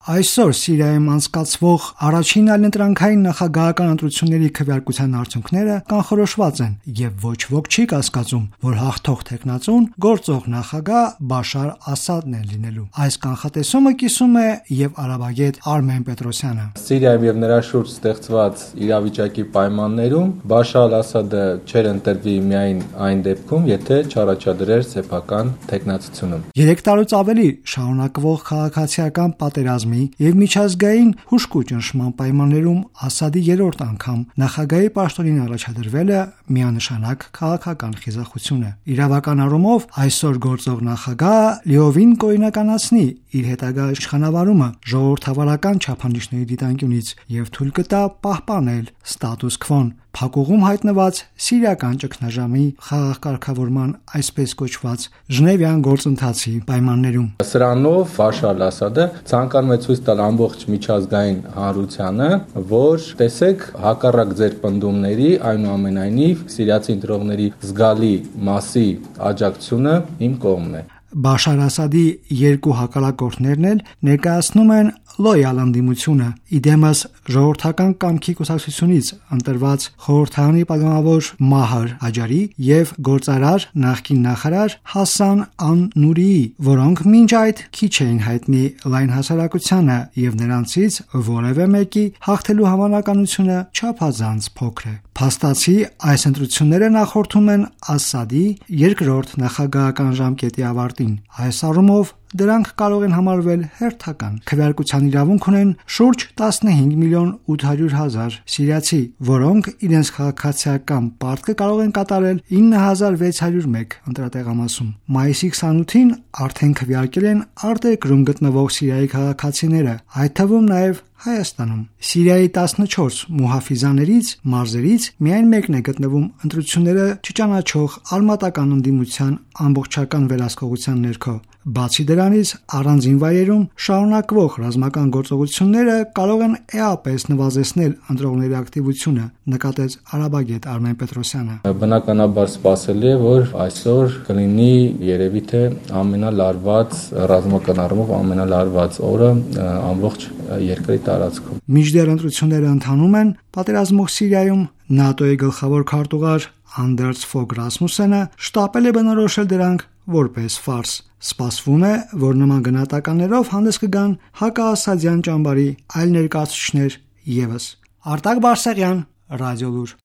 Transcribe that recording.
Այսօր Սիրիայում անցկացվող առաջին այլընտրանքային նախագահական ընտրությունների քվեարկության արդյունքները կանխորոշված են եւ ոչ ոք չի կասկածում, որ հաղթող տեխնացուն գործող նախագահ Բաշար Ասադն է լինելու։ Այս կանխատեսումը կիսում է եւ արաբագետ Արմեն Պետրոսյանը։ Սիրիայում եւ նրա շուրջ ստեղծված իրավիճակի պայմաններում Բաշար Ասադը չէր ընտրվի միայն այն դեպքում, եթե չառաջադրեր սեփական տեխնացությունը։ 3 տարուց ավելի շարունակվող քաղաքացիական պատերազմի եւ միջազգային հուժկու ճնշման պայմաններում Ասադի երրորդ անգամ նախագահի պաշտոնին առաջադրվելը միանշանակ քաղաքական խիզախություն է։ Իրավական առումով այսօր գործող նախագահը լիովին կօրինականացնի իր հետագա իշխանավարումը ժողովրդավարական չափանիշների դիտանկյունից եւ թույլ կտա պահպանել ստատուս քվոն, փակուղում հայտնված սիրիական ճգնաժամի խաղաղ կարգավորման այսպես կոչված Ժնևյան գործընթացի պայմաններում։ Սրանով Բաշար Ասադը ցանկանում է ցույց տալ ամբողջ միջազգային հանրությանը, որ տեսեք, հակառակ ձեր պնդումների, այնուամենայնիվ սիրիացի ընտրողների զգալի մասի աջակցությունը իմ կողմն է։ Բաշար Ասադի երկու հակառակորդներն էլ ներկայացնում են լոյալ ընդդիմությունը իդեմս ժողովրդական կամքի կուսակցությունից ընտրված խորհրդարանի պատգամավոր Մահար Աջարի եւ գործարար նախկին նախարար Հասան Ան-Նուրիի, որոնք մինչ այդ քիչ էին հայտնի լայն հասարակությանը եւ նրանցից որևէ մեկի հաղթելու հավանականությունը չափազանց փոքր է։ Փաստացի այս ընտրությունները նախորդում են Ասադի երկրորդ նախագահական ժամկետի ավարտին։ Այս առումով դրանք կարող են համարվել հերթական։ Քվեարկության իրավունք ունեն շուրջ 15 միլիոն 800 հազար սիրիացի, որոնք իրենց քաղաքացիական պարտքը կարող են կատարել 9601 ընտրատեղամասում։ Մայիսի 28-ին արդեն քվեարկել են արտերկրում գտնվող Սիրիայի քաղաքացիները, այդ թվում նաև Հայաստանում։ Սիրիայի 14 մուհաֆիզաներից մարզերից միայն մեկն է գտնվում ընտրությունները չճանաչող արմատական ընդդիմության ամբողջական վերահսկողության ներքո։ Բացի դրանից, առանձին վայրերում շարունակվող ռազմական գործողությունները կարող են էապես նվազեցնել ընտրողների ակտիվությունը, նկատեց արաբագետ Արմեն Պետրոսյանը։ Բնականաբար սպասելի է, որ այսօր կլինի երևի թե ամենալարված ռազմական առումով ամենալարված օրը ամբողջ երկրի տարածքում։ Մինչդեռ ընտրությունները ընթանում են, պատերազմող Սիրիայում ՆԱՏՕ-ի գլխավոր քարտուղար Անդերս Ֆոգ Ռասմուսենը շտապել է բնորոշել դրանք որպես ֆարս։ Սպասվում է, որ նման գնահատականներով հանդես կգան հակաասադյան ճամբարի այլ ներկայացուցիչներ ևս։ Արտակ Բարսեղյան, Ռադիոլուր։